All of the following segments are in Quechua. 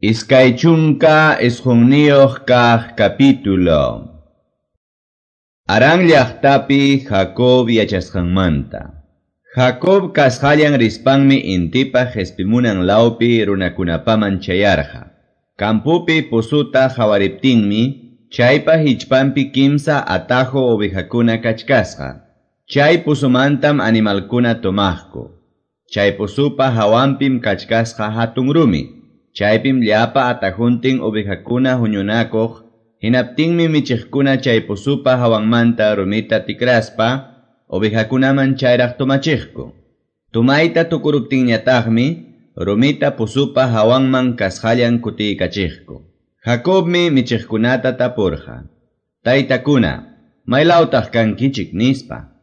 29 kaq capítulo. Harán llaqtapi Jacob yachasqanmanta. Jacob kasqallan rispanmi intipa qespimunan lawpi runakunapaman chayarqa. Kampupi pusuta hawariptinmi chaypa hichpanpi kimsa atajo ovejakuna kachkasqa. Chay pusumantam animalkuna tomaqku. Chay pusupa hawanpim kachkasqa hatun rumi. Chaypim llapa atajuntin ovejakuna huñunakuq, hinaptinmi michiqkuna chay pusupa hawanmanta rumita tikraspa, ovejakunaman chayraq tomachiqku. Tumayta tukuruptinñataqmi, rumita pusupa hawanman kasqallan kutiykachiqku. Jacobmi michiqkunata tapurqa: Taytakuna, maylawtaq kankichik nispa.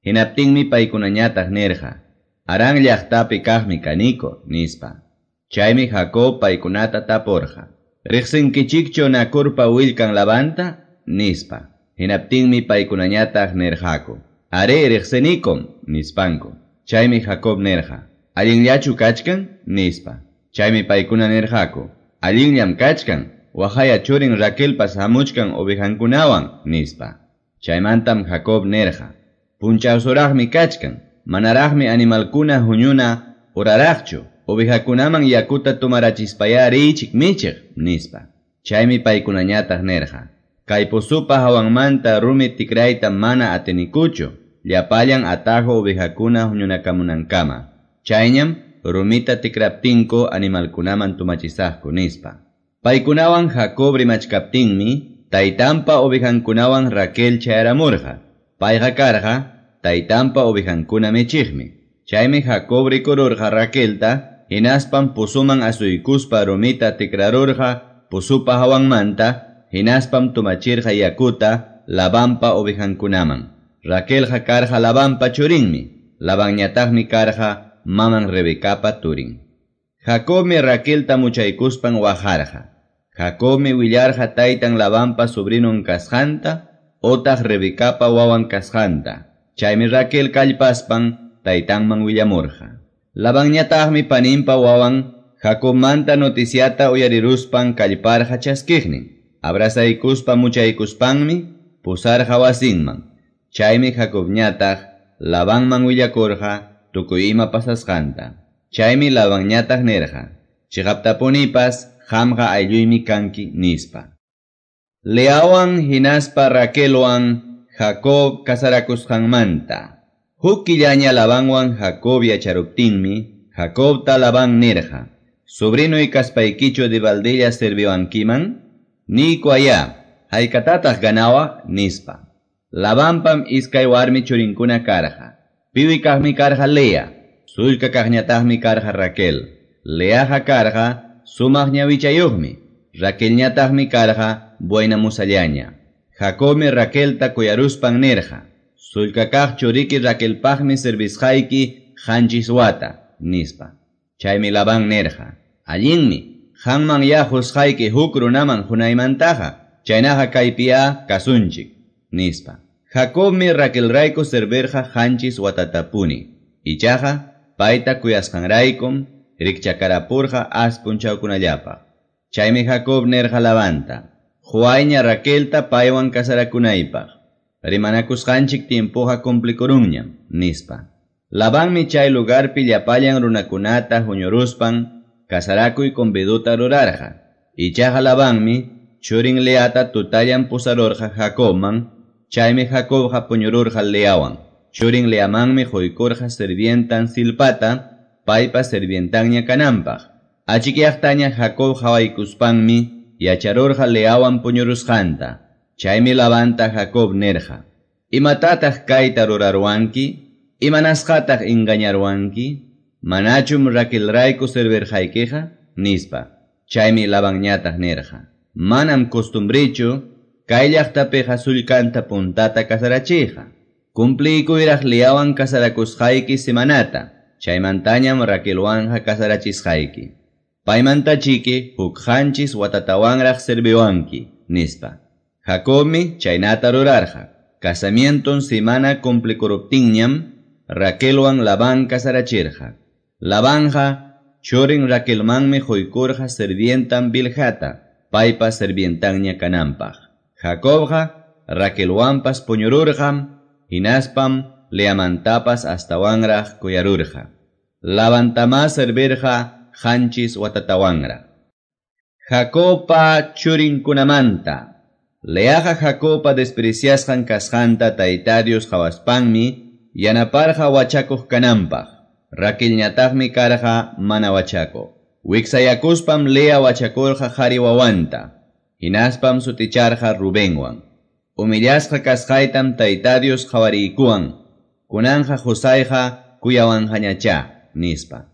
Hinaptinmi paykunañataq nirqa: Harán llaqtapi kaqmi kaniko, nispa. Chaymi Jacob paykunata tapurqa: Riqsinkichikchu Nakurpa willkan Labanta? Nispa. Hinaptinmi paykunañataq nirqaku: Are riqsinikum, nispanku. Chaymi Jacob nirqa: Allinllachu kachkan? Nispa. Chaymi paykuna nirqaku: Allinllam kachkan, waqaya churin Raquelpas hamuchkan ovejankunawan, nispa. Chaymantam Jacob nirqa: Punchawsuraqmi kachkan, manaraqmi animalkuna huñuna uraraqchu, ovejakunaman yakuta tomarachispaya riychik michiq, nispa. Chaymi paykunañataq nirqa: Kay pusupa hawanmanta rumi tikrayta mana atinikuchu, llapallan atajo ovejakuna huñunakamunankama. Chayñam rumita tikraptinku animalkunaman tumachisaqku, nispa. Paykunawan Jacob rimachkaptinmi, taytanpa ovejankunawan Raquel chayaramurqa. Payqa karqa taytanpa ovejankuna michiqmi. Chaymi Jacob rikururqa Raquelta, hinaspam pusuman asuykuspa rumita tikrarurqa pusupa hawanmanta, hinaspam tumachirqa yakuta Labanpa ovejankunaman. Raquelqa karqa Labanpa churinmi, Labanñataqmi karqa maman Rebecapa turin. Jacobmi Raquelta muchaykuspan waqarqa. Jacobmi willarqa taytan Labanpa sobrinon kasqanta, otaq Rebecapa wawan kasqanta. Chaymi Raquel kallpaspan taytanman willamurqa. Labanñataqmi paninpa wawan Jacobmanta noticiata uyariruspan kallparqa chaskiqnin. Abrazaykuspa muchaykuspanmi pusarqa wasinman. Chaymi Jacobñataq Labanman willakurqa tukuy ima pasasqanta. Chaymi Labanñataq nirqa: Chiqaptapunipas qamqa aylluymi kanki, nispa. Leawan hinaspa Raquelwan Jacob kasarakusqanmanta. Huk killaña Labanwan Jacob yacharuptinmi, Jacobta Labán nirqa: Sobrinuy kaspaykichu debaldilla serviwankiman? Niyku aya, haykatataq ganawaq, nispa. Labanpam iskay warmi churinkuna karqa. Piwi kaqmi karqa Lea, sullka kaqñataqmi karqa Raquel. Leaqa karqa sumaq ñawichayuqmi, Raquelñataqmi karqa buena musallaña. Jacobmi Raquelta kuyaruspan nirqa: Sullka kaq churiki Raquelpaqmi servisqayki qanchis wata, nispa. Chaymi Labán nirqa: Allinmi, qanman ya qusqayki huk runaman hunaymantaqa, chaynaqa kaypiya kasunchik, nispa. Jacobmi Raquelrayku servirqa qanchis watatapuni. Ichaqa payta kuyasqanraykum rikchakarapurqa as punchawkunallapaq. Chaymi Jacob nirqa Labanta: Huayña Raquelta paywan kasarakunaypaq. Rimanakusqanchik tiempoqa cumplikurunñam, nispa. Labanmi chay lugarpi llapallan runakunata huñuruspan kasarakuy conviduta rurarqa. Ichaqa Labanmi churin Leata tutallan pusarurqa Jacobman, chaymi Jacobqa puñururqa Leawan. Churin Leamanmi quykurqa sirvientan Zilpata, paypa sirvientanña kananpaq. Achikyaqtaña Jacob hawaykuspanmi yacharurqa Leawan puñurusqanta. Chaymi Labanta Jacob nirqa: Imatataq kayta rurarwanki? Imanasqataq engañarwanki? Manachum Raquelrayku servirqaykiqa? Nispa. Chaymi Labanñataq nirqa: Manam costumbrichu kay llaqtapiqa sullkanta puntata kasarachiyqa. Cumpliykuyraq Leawan kasarakusqayki semanata, chaymantañam Raquelwanqa kasarachisqayki. Paymantachiki huk qanchis watatawanraq serviwanki, nispa. Jacobmi chaynata rurarqa. Casamienton semana cumplikuruptinñam Raquelwan Labán kasarachirqa. Labanja churin Raquelmanmi qoykurqa sirvientan Bilhata, paypa sirvientanña kananpaq. Jacobqa Raquelwanpas puñururqam, hinaspam Leamantapas astawanraq kuyarurqa. Labantamá servirqa qanchis watatawanraq. Jacobpa churinkunamanta. Leaqa Jacobpa despreciasqan kasqanta Tayta Dios qawaspanmi yanaparqa wachakuq kananpaq. Raquelñataqmi karqa mana wachakuq. Wiksayakuspam Lea wachakurqa qhari wawanta. Hinaspam suticharqa Rubenwan. Humillasqa kasqaytam Tayta Dios qawariykuwan. Kunanqa qusayqa kuyawanqañachá, nispa.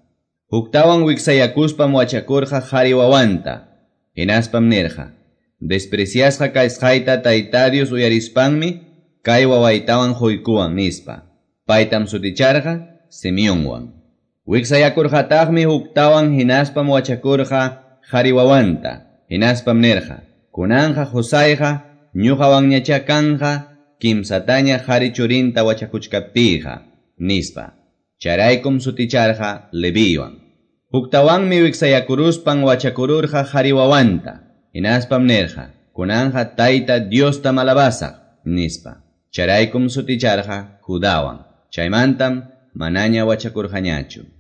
Huktawan wiksayakuspam wachakurqa qhari wawanta. Hinaspam nirqa: Despreciasqa kasqayta Tayta Dios uyarispanmi kay wawaytawan quykuwan, nispa. Paytam suticharqa Simeonwan. Wiksayakurqataqmi huktawan hinaspam wachakurqa qhari wawanta. Hinaspam nirqa: Kunanqa qusayqa ñuqawanñachá kanqa kimsataña qhari churinta wachakuchkaptiyqa, nispa. Chayraykum suticharqa Leviwan. Huktawanmi wiksayakuruspan wachakururqa qhari wawanta. Hinaspam nirqa: Kunanqa Tayta Diostam alabasaq, nispa. Chayraykum suticharqa Judawan. Chaymantam manaña wachakurqañachu.